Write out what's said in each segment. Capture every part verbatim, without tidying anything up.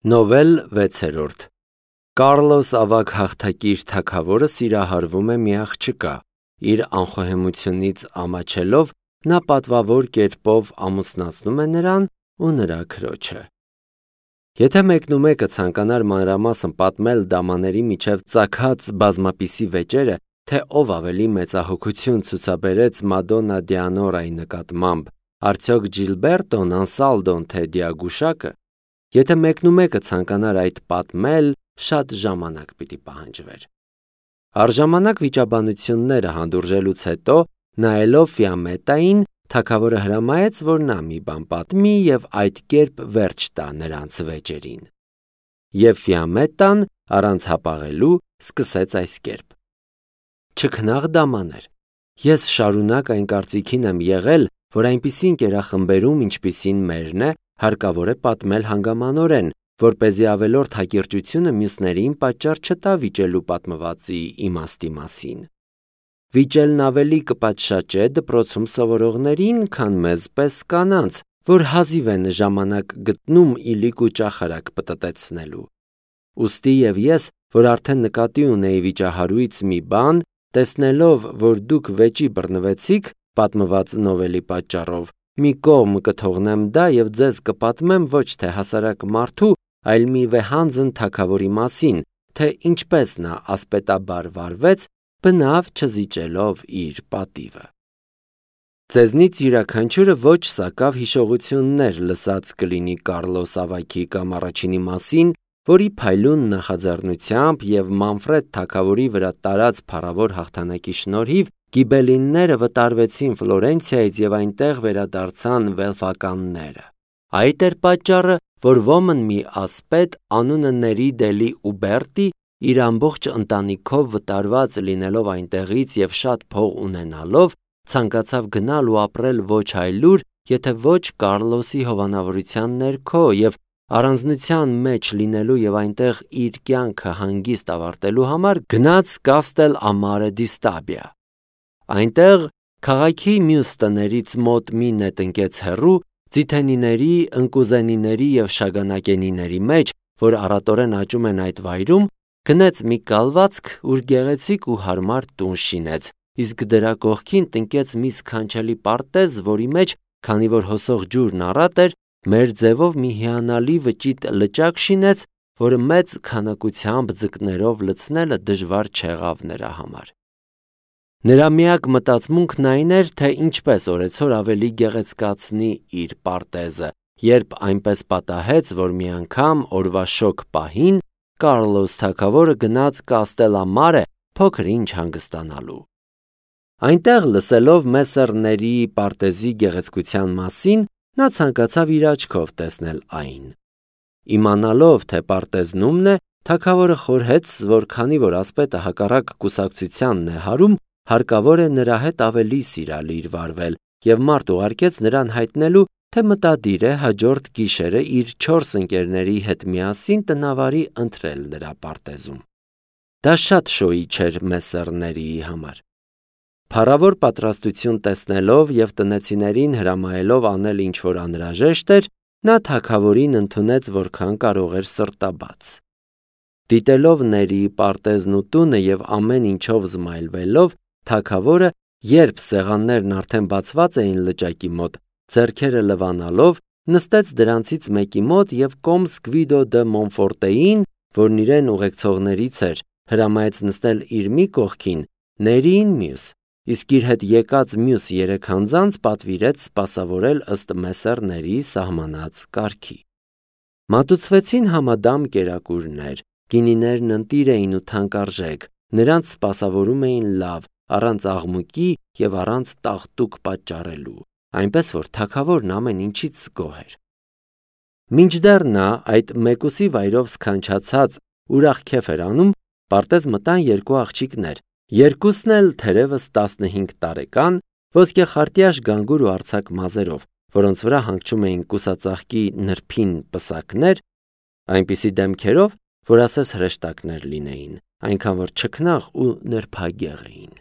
Նովել վեցերորդ Կարլոս ավագ հաղթակիր թագավորը սիրահարվում է մի աղջկա, իր անխոհեմությունից ամաչելով նա պատվավոր կերպով ամուսնացնում է նրան ու նրա քրոջը։ Եթե մեկնումեկը ցանկանար մանրամասն պատմել դամաների միջև ծագած բազմապիսի վեճերը, թե ով ավելի մեծահոգություն ցուցաբերեց Մադոննա Դիանորայի նկատմամբ, արդյոք Ջիլբերտոն, Անսալդոն, թե Դիագուշակը, եթե մեկնումեկը ցանկանար այդ պատմել, շատ ժամանակ պիտի պահանջվեր։ Առժամանակ վիճաբանությունները հանդուրժելուց հետո, նայելով Ֆիամետային, թագավորը հրամայեց, որ նա մի բան պատմի և այդ կերպ վերջ տա նրանց վեճերին։ Եվ Ֆիամետան, առանց հապաղելու, սկսեց այս կերպ. Չքնաղ դամաներ, ես շարունակ այն կարծիքին եմ եղել, որ այնպիսի ընկերախմբերում, ինչպիսին մերն է, հարկավոր է պատմել հանգամանորեն, որպեսզի ավելորդ հակիրճությունը մյուսներին պատճառ չտա վիճելու պատմվածի իմաստի մասին։ Վիճելն ավելի կպատշաճե դպրոցում սովորողներին, քան մեզ պես կանանց, որ հազիվ են ժամանակ գտնում իլիկ ու ճախարակ պտտեցնելու։ Ուստի և ես, որ արդեն նկատի ունեի վիճահարույց մի բան, տեսնելով, որ դուք վեճի բռնվեցիք պատմված նովելի պատճառով, մի կողմ կթողնեմ դա և ձեզ կպատմեմ ոչ թե հասարակ մարդու, այլ մի վեհանձն թագավորի մասին, թե ինչպես նա ասպետաբար վարվեց, բնավ չզիջելով իր պատիվը։ Ձեզնից յուրաքանչյուրը ոչ սակավ հիշողություններ լսած կլինի Կարլոս ավագի կամ առաջինի մասին, որի փայլուն նախաձեռնությամբ և Մանֆրեդ թագավորի վրա տարած փառավոր հաղթանակի շնորհիվ գիբելինները վտարվեցին Ֆլորենցիայից և այնտեղ վերադարձան վելֆականները։ Այդ էր պատճառը, որ ոմն մի ասպետ անունը Ների դելի Ուբերտի, իր ամբողջ ընտանիքով վտարված լինելով այնտեղից և շատ փող ունենալով, ցանկացավ գնալ ու ապրել ոչ այլուր, եթե ոչ Կարլոսի հովանավորության ներքո և առանձնության մեջ լինելու և այնտեղ իր կյանքը հանգիստ ավարտելու համար գնաց Կաստել Ամարե դի Ստաբիա։ Այնտեղ, քաղաքի մյուս տներից մոտ մի նետ ընկեց հեռու, ձիթենիների, ընկուզենիների և շագանակենիների մեջ, որ առատորեն աճում են այդ վայրում, գնեց մի կալվածք, ուր գեղեցիկ ու հարմար տուն շինեց, իսկ դրա կողքին տնկեց մի սքանչելի պարտեզ, որի մեջ, քանի որ հոսող ջուրն առատ էր, մեր ձևով մի հիանալի վճիտ լճակ շինեց, որը մեծ քանակությամբ ձկներով լցնելը դժվար չեղավ նրա համար։ Նրա միակ մտածմունքն այն էր, թե ինչպես օրեցօր ավելի գեղեցկացնի իր պարտեզը, երբ այնպես պատահեց, որ մի անգամ օրվա շոգ պահին Կարլոս թագավորը գնաց Կաստել Ամարե փոքր-ինչ հանգստանալու։ Այնտեղ լսելով Մեսսեր Ների պարտեզի գեղեցկության մասին, նա ցանկացավ իր աչքով տեսնել այն։ Իմանալով, թե պարտեզն ումն է, թագավորը խորհեց, որ քանի որ ասպետը հակառակ կուսակցությանն է հարում, հարկավոր է նրա հետ ավելի սիրալիր վարվել և մարդ ուղարկեց նրան հայտնելու, թե մտադիր է հաջորդ գիշերը իր չորս ընկերների հետ միասին տնավարի ընտրել նրա պարտեզում։ Դա շատ շոյիչ էր Մեսսեր Ներիի համար։ Փառավոր պատրաստություն տեսնելով և տնեցիներին հրամայելով անել ինչ-որ անհրաժեշտ էր, նա թագավորին ընդունեց որքան կարող էր սրտաբաց։ Դիտելով Ներիի պարտեզն ու տունը և ամեն ինչով զմայլվելով, թագավորը, երբ սեղաններն արդեն բացված էին լճակի մոտ, ձեռքերը լվանալով, նստեց դրանցից մեկի մոտ և կոմս Գվիդո դը Մոնֆորտեին, որն իրեն ուղեկցողներից էր, հրամայեց նստել իր մի կողքին, Ներիին մյուս, իսկ իր հետ եկած մյուս երեք անձանց պատվիրեց սպասավորել ըստ Մեսսեր Ներիի սահմանած կարգի։ Մատուցվեցին համադամ կերակուրներ, գինիներն ընտիր էին ու թանկարժեք, նրանց սպասավորում էին լավ, առանց աղմուկի և առանց տաղտուկ պատճառելու, այնպես որ թագավորն ամեն ինչից գոհ էր։ Մինչդեռ նա այդ մեկուսի վայրով սքանչացած ուրախ քեֆ էր անում, պարտեզ մտան երկու աղջիկներ, երկուսն էլ թերևս տասնհինգ տարեկան, ոսկեխարտյաշ գանգուր ու արձակ մազերով, որոնց վրա հանգչում էին կուսածաղկի նրբին պսակներ, այնպիսի դեմքերով, որ ասես հրեշտակներ լինեին, այնքան որ չքնաղ ու նրբագեղ էին։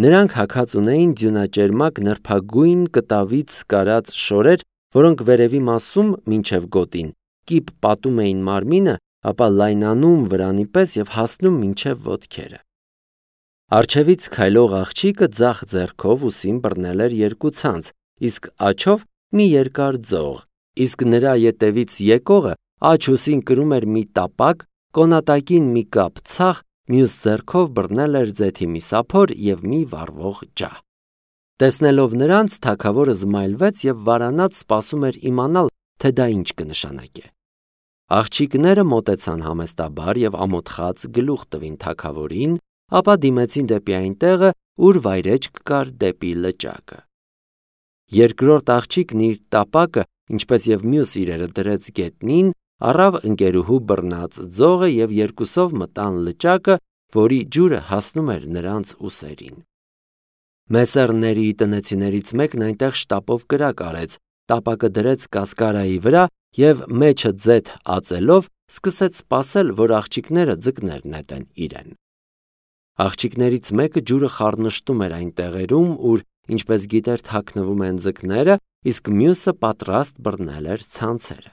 Նրանք հագած ունեին ձյունաճերմակ նրբագույն կտավից կարած շորեր, որոնք վերևի մասում մինչև գոտին կիպ պատում էին մարմինը, ապա լայնանում վրանի պես և հասնում մինչև ոտքերը։ Առջևից քայլող աղջիկը ձախ ձեռքով ուսին բռնել էր երկու ցանց, իսկ աջով մի երկար ձող, իսկ նրա ետևից եկողը աջ ուսին կրում էր մի տապակ, կոնատակին մի կապ ցախ, մյուս ձեռքով բռնել էր ձեթի մի սափոր և մի վառվող ջահ։ Տեսնելով նրանց, թագավորը զմայլվեց և վարանած սպասում էր իմանալ, թե դա ինչ կնշանակե։ Աղջիկները մոտեցան համեստաբար և ամոթխած գլուխ տվին թագավորին, ապա դիմեցին դեպի այն տեղը, ուր վայրէջք կար դեպի լճակը։ Երկրորդ աղջիկն իր տապակը, ինչպես և մյուս իրերը դրեց գետնին, առավ ընկերուհու բռնած ձողը և երկուսով մտան լճակը, որի ջուրը հասնում էր նրանց ուսերին։ Մեսերների տնեցիներից մեկն այնտեղ շտապով կրակ արեց, տապակը դրեց կասկարայի վրա և մեջը ձեթ ածելով սկսեց սպասել, որ աղջիկները ձկներ նետեն իրեն։ Աղջիկներից մեկը ջուրը խառնշտում էր այն տեղերում, ուր, ինչպես գիտեր, թաքնվում են ձկները, իսկ մյուսը պատրաստ բռնել էր ցանցերը։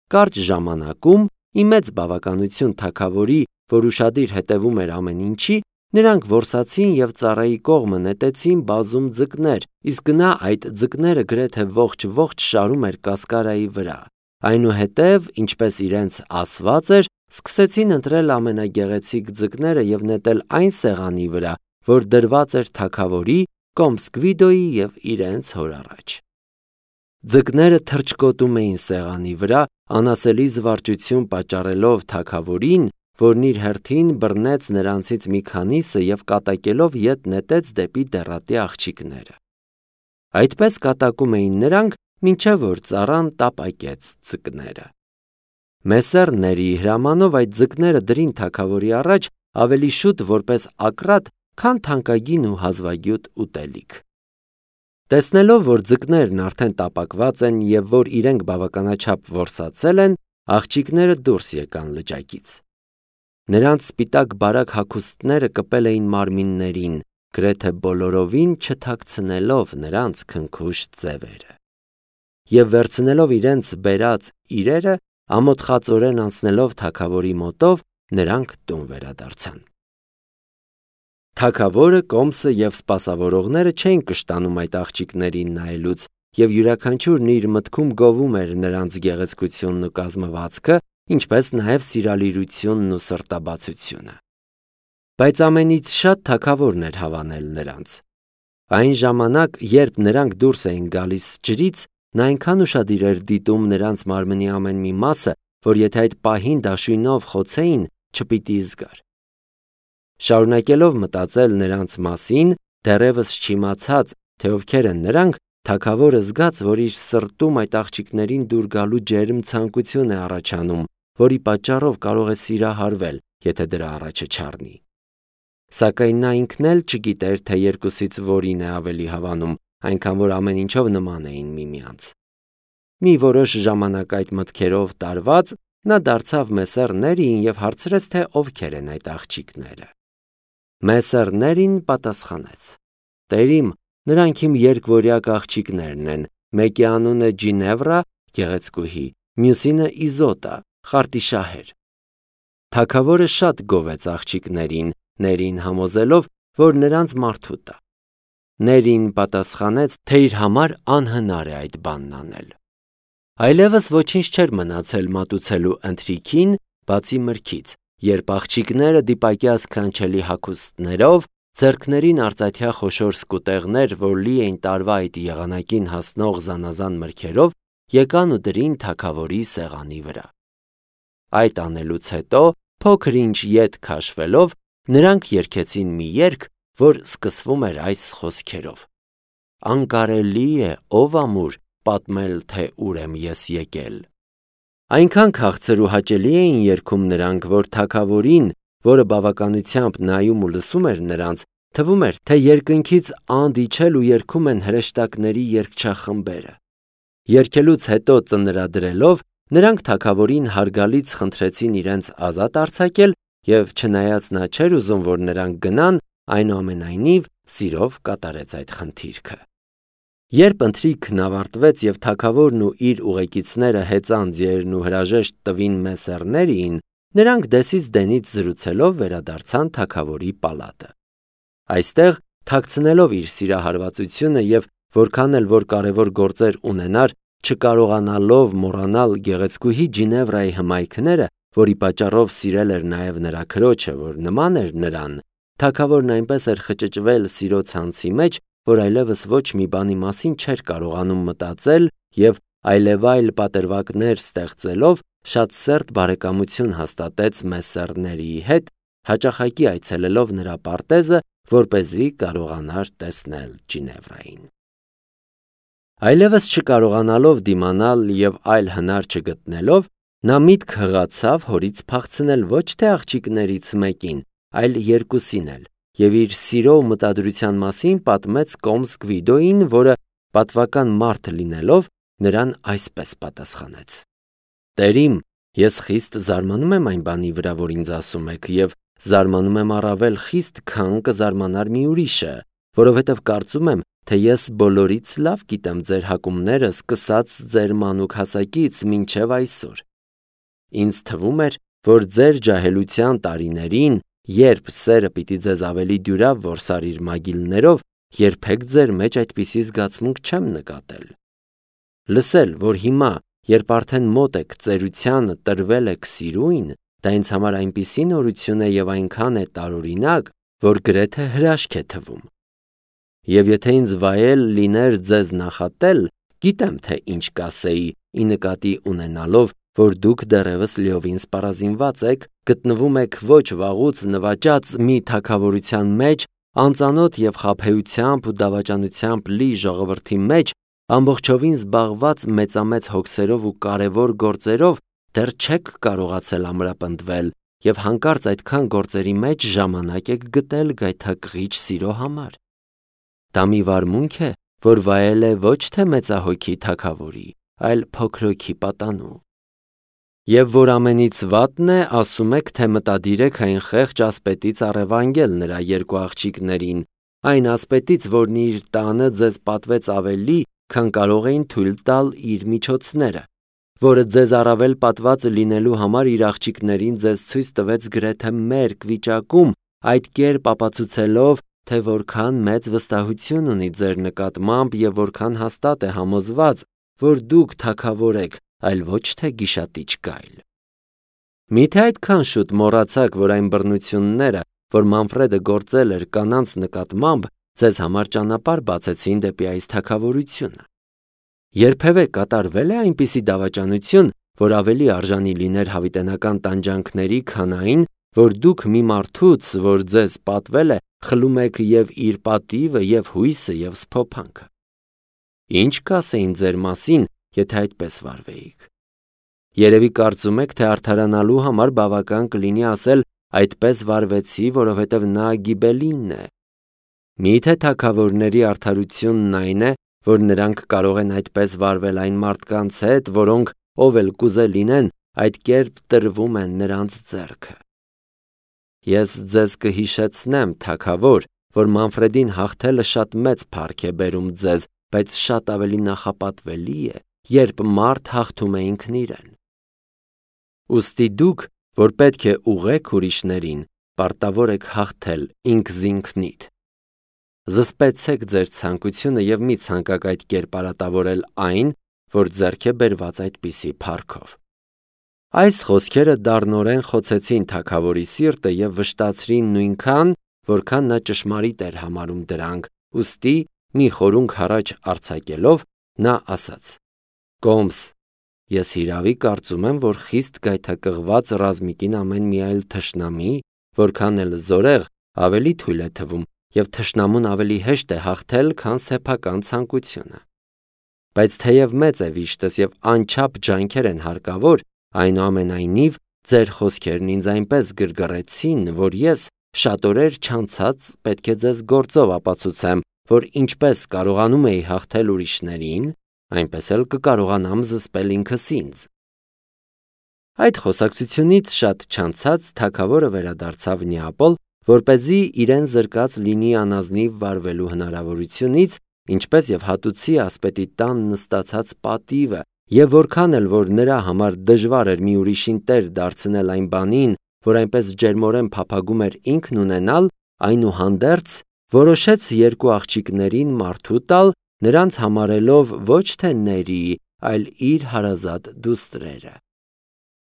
Կարճ ժամանակում, ի մեծ բավականություն թագավորի, որ ուշադիր հետևում էր ամեն ինչի, նրանք որսացին և ծառայի կողմը նետեցին բազում ձկներ, իսկ նա այդ ձկները գրեթե ողջ-ողջ շարում էր կասկարայի վրա։ Այնուհետև, ինչպես իրենց ասված էր, սկսեցին ընտրել ամենագեղեցիկ ձկները և նետել այն սեղանի վրա, որ դրված էր թագավորի, Կոմսկվիդոյի և իրենց հոր առաջ։ Ձկները թռչկոտում էին սեղանի վրա, անասելի զվարճություն պատճառելով թագավորին, որն իր հերթին բռնեց նրանցից մի քանիսը և կատակելով ետ նետեց դեպի դեռատի աղջիկները։ Այդպես կատակում էին նրանք, մինչև որ ծառան տապակեց ձկները։ Մեսերների հրամանով այդ ձկները դրին թագավորի առաջ ավելի շուտ որպես ակռատ, քան թանկագին ու հազվագյուտ ուտելիք։ Տեսնելով, որ ձկներն արդեն տապակված են և որ իրենք բավականաչափ որսացել են, աղջիկները դուրս եկան լճակից։ Նրանց սպիտակ բարակ հագուստները կպել էին մարմիններին, գրեթե բոլորովին չթաքցնելով նրանց քնքուշ ձևերը։ Եվ վերցնելով իրենց բերած իրերը, ամոթխածորեն անցնելով թագավորի մոտով, նրանք տուն վերադարձան։ Թագավորը, Կոմսը և սպասավորողները չէին կշտանում այդ աղջիկներին նայելուց, և յուրաքանչյուրն իր մտքում գովում էր նրանց գեղեցկությունն ու կազմվածքը, ինչպես նաև սիրալիրությունն ու սրտաբացությունը։ Բայց ամենից շատ թագավորն էր հավանել նրանց։ Այն ժամանակ, երբ նրանք դուրս էին գալիս ջրից, նա այնքան ուշադիր էր դիտում նրանց մարմնի ամեն մի մասը, որ եթե այդ պահին դաշույնով խոցեին, չպիտի զգար։ Շարունակելով մտածել նրանց մասին, դեռևս չիմացած, թե ովքեր են նրանք, թագավորը զգաց, որ իր սրտում այդ աղջիկներին դուր գալու ջերմ ցանկություն է առաջանում, որի պատճառով կարող է սիրահարվել, եթե դրա առաջը չառնի։ Սակայն նա ինքն էլ չգիտեր, թե երկուսից որին է ավելի հավանում, այնքան որ ամեն ինչով նման էին միմյանց։ Մի որոշ ժամանակ այդ մտքերով տարված, նա դարձավ Մեսերներին և հարցրեց, թե ովքեր են այդ աղջիկները։ Մեսերներին պատասխանեց. Տերիմ, նրանք իմ երկվորյակ աղջիկներն են, մեկի անունը Ջինևրա, գեղեցկուհի, մյուսինը Իզոտա, խարտիշահեր։ Թագավորը շատ գովեց աղջիկներին, ներին համոզելով, որ նրանց մարդու տա։ Ներին պատասխանեց, թե իր համար անհնար է այդ բանն անել։ Այլևս ոչինչ չէր մնացել մատուցելու ընթրիքին, բացի մրգից, երբ աղջիկները դիպակյա սքանչելի հագուստներով, ձեռքներին արծաթյա խոշոր սկուտեղներ, որ լի էին տարվա այդ եղանակին հասնող զանազան մրգերով, եկան ու դրին թագավորի սեղանի վրա։ Այդ անելուց հետո, փոքր ինչ ետ քաշվելով, նրանք երգեցին մի երգ, որ սկսվում էր այս խոսքերով. Անկարելի է, ով ամուր, պատմել, թե ուր եմ ես եկել։ Այնքան քաղցր ու հաճելի էին երգում նրանք, որ թագավորին, որը բավականությամբ նայում ու լսում էր նրանց, թվում էր, թե երկնքից անդ իջել ու երգում են հրեշտակների երգչախմբերը։ Երգելուց հետո ծնրադրելով, նրանք թագավորին հարգալից խնդրեցին իրենց ազատ արձակել և չնայած նա չէր ուզում, որ նրանք գնան, այնուամենայնիվ սիրով կատարեց այդ խնդիրքը։ Երբ ընթրիքն ավարտվեց և թագավորն ու իր ուղեկիցները հեծան ձիերն ու հրաժեշտ տվին մեսեռներին, նրանք դեսից դենից զրուցելով վերադարձան թագավորի պալատը։ Այստեղ, թաքցնելով իր սիրահարվածությունը և որքան էլ որ կարևոր գործեր ունենար, չկարողանալով մոռանալ գեղեցկուհի Ջինևրայի հմայքները, որի պատճառով սիրել էր նաև նրա քրոջը, որ նման էր նրան, թագավորն այնպես էր խճճվել սիրո ցանցի մեջ, որ այլևս ոչ մի բանի մասին չէր կարողանում մտածել և այլևայլ պատրվակներ ստեղծելով շատ սերտ բարեկամություն հաստատեց մեսսեռների հետ, հաճախակի այցելելով նրա պարտեզը, որպեսզի կարողանար տեսնել Ջինևրային։ Այլևս չկարողանալով դիմանալ և այլ հնար չգտնելով, նա միտք հղացավ հորից փախցնել ոչ թե աղջիկներից մեկին, այլ երկուսին էլ, և իր սիրո ու մտադրության մասին պատմեց կոմս Գվիդոյին, որը պատվական մարդ լինելով, նրան այսպես պատասխանեց. «Տեր իմ, ես խիստ զարմանում եմ այն բանի վրա, որ ինձ ասում եք, և զարմանում եմ առավել խիստ, քան կզարմանար մի ուրիշը, որովհետև կարծում եմ, թե ես բոլորից լավ գիտեմ ձեր հակումները, սկսած ձեր մանուկ հասակից մինչև այսօր։ Ինձ թվում էր, որ ձեր ջահելության տարիներին, երբ սերը պիտի ձեզ ավելի դյուրավ որսար իր մագիլներով, երբեք ձեր մեջ այդպիսի զգացմունք չեմ նկատել։ Լսել, որ հիմա, երբ արդեն մոտ եք ծերությանը տրվել եք սիրույն, դա ինձ համար այնպիսի նորություն է և այնքան է տարօրինակ, որ գրեթե հրաշք է թվում։ Եվ եթե ինձ վայել լիներ ձեզ նախատել, գիտեմ, թե ինչ կասեի, ի նկատի ունենալով, որ դուք դեռևս լիովին սպառազինված եք, գտնվում եք ոչ վաղուց նվաճած մի թագավորության մեջ, անծանոթ և խաբեությամբ ու դավաճանությամբ լի ժողովրդի մեջ, ամբողջովին զբաղված մեծամեծ հոգսերով ու կարևոր գործերով, դեռ չեք կարողացել ամրապնդվել և հանկարծ այդքան գործերի մեջ ժամանակ եք գտել գայթակղիչ սիրո համար։ Դա մի վարմունք է, որ վայել է ոչ թե մեծահոգի թագավորի, այլ փոքրոքի պատանու։ Եվ որ ամենից վատն է, ասում եք, թե մտադիր եք այն խեղճ ասպետից առևանգել նրա երկու աղջիկներին, այն ասպետից, որն իր տանը ձեզ պատվեց ավելի, քան կարող էին թույլ տալ իր միջոցները, որը ձեզ առավել պատված լինելու համար իր աղջիկներին ձեզ ցույց տվեց գրեթե մերկ վիճակում, այդ կերպ ապացուցելով, թե որքան մեծ վստահություն ունի ձեր նկատմամբ և որքան հաստատ է համոզված, որ դուք թագավոր եք, այլ ոչ թե գիշատիչ գայլ։ Միթե այդքան շուտ մոռացաք, որ այն բռնությունները, որ Մանֆրեդը գործել էր կանանց նկատմամբ, ձեզ համար ճանապարհ բացեցին դեպի այս թագավորությունը։ Երբևէ կատարվել է այնպիսի դավաճանություն, որ ավելի արժանի լիներ հավիտենական տանջանքների, քան այն, որ դուք մի մարդուց, որ ձեզ պատվել է, խլում եք և իր պատիվը, և հույսը, և սփոփանքը։ Ինչ կասեին ձեր մասին, եթե այդպես վարվեիք։ Երևի կարծում եք, թե արդարանալու համար բավական կլինի ասել այդպես վարվեցի, որովհետև նա Գիբելինն է։ Միթե թագավորների արդարությունն այն է, որ նրանք կարող են այդպես վարվել այն մարդկանց հետ, որոնք, ով էլ կուզե լինեն, այդ կերպ տրվում են նրանց ձեռքը։ Ես ձեզ կհիշեցնեմ, թագավոր, որ Մանֆրեդին հաղթելը շատ մեծ փառք է բերում ձեզ, բայց շատ ավելի նախապատվելի է, երբ մարդ հաղթում է ինքն իրեն։ Ուստի դուք, որ պետք է ուղղեք ուրիշներին, պարտավոր եք հաղթել ինքզինքնիդ։ Զսպեցեք ձեր ցանկությունը և մի ցանկաք այդ կերպարատավորել այն, որ ձեռք է բերված այդպիսի փառքով։ Այս խոսքերը դառնորեն խոցեցին թագավորի սիրտը և վշտացրին նույնքան, որքան նա ճշմարիտ էր համարում դրանք, ուստի մի խորհուրդ առաջ արձակելով, նա ասաց. «Կոմս, ես հիրավի կարծում եմ, որ խիստ գայթակղված ռազմիկին ամեն մի այլ թշնամի, որքան էլ զորեղ, ավելի թույլ է թվում, և թշնամուն ավելի հեշտ է հաղթել, քան սեփական ցանկությունը։ Բայց թեև մեծ է վիշտս և անչափ ջանքեր են հարկավոր, այնուամենայնիվ ձեր խոսքերն ինձ այնպես գրգռեցին, որ ես շատ օրեր չանցած պետք է ձեզ գործով ապացուցեմ, որ ինչպես կարողանում էի հաղթել ուրիշներին, այնպես էլ կկարողանամ զսպել ինքս ինձ»։ Այդ խոսակցությունից շատ չանցած թագավորը վերադարձավ Նեապոլ, որպեսզի իրեն զրկած լինի անազնիվ վարվելու հնարավորությունից ինչպես եւ հատուցի ասպետի տան նստացած պատիվը, եւ որքան էլ որ նրա համար դժվար էր մի ուրիշին տեր դարձնել այն բանին, որ այնպես ջերմորեն փափագում էր ինքն ունենալ, այնուհանդերձ որոշեց երկու աղջիկներին մարդու տալ, նրանց համարելով ոչ թե Ների, այլ իր հարազատ դուստրերը։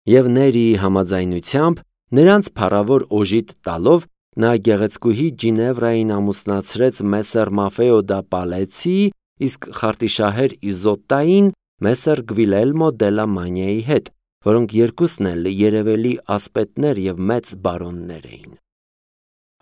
Եվ Ներիի համաձայնությամբ նրանց փառավոր օժիտ տալով նա գեղեցկուհի Ջինևրային ամուսնացրեց Մեսեր Մաֆեոդա Պալեցի, իսկ խարտիշահեր Իզոտային Մեսեր Գվիլելմո դելա Մանիայի հետ, որոնք երկուսն էլ երևելի ասպետներ եւ մեծ բարոններ էին։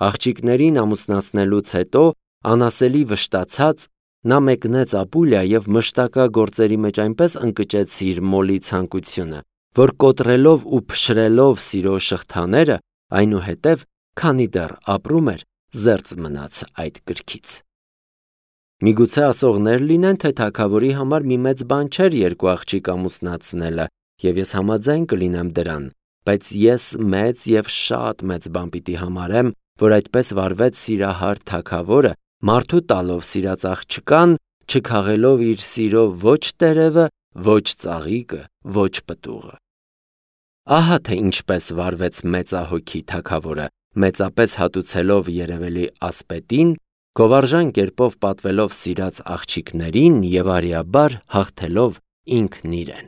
Աղջիկներին ամուսնացնելուց հետո անասելի վշտացած նա մեկնեց Ապուլիա եւ մշտակա գործերի մեջ այնպես ընկճեց իր մոլի ցանկությունը, որ կոտրելով ու փշրելով սիրո շղթաները, այնուհետև, քանի դեռ ապրում էր, զերծ մնաց այդ կրքից։ Միգուցե ասողներ լինեն, թե թագավորի համար մի մեծ բան չէր երկու աղջիկ ամուսնացնելը, եւ ես համաձայն կլինեմ դրան, բայց ես մեծ եւ շատ մեծ բան պիտի համարեմ, որ այդպես վարվեց սիրահար թագավորը, մարդու տալով սիրած աղջկան, չքաղելով իր սիրո ոչ տերևը, ոչ ծաղիկը, ոչ պտուղը։ Ահա թե ինչպես վարվեց մեծահոգի թագավորը, մեծապես հատուցելով երևելի ասպետին, գովարժան կերպով պատվելով սիրած աղջիկներին եւ արիաբար հաղթելով ինքն իրեն։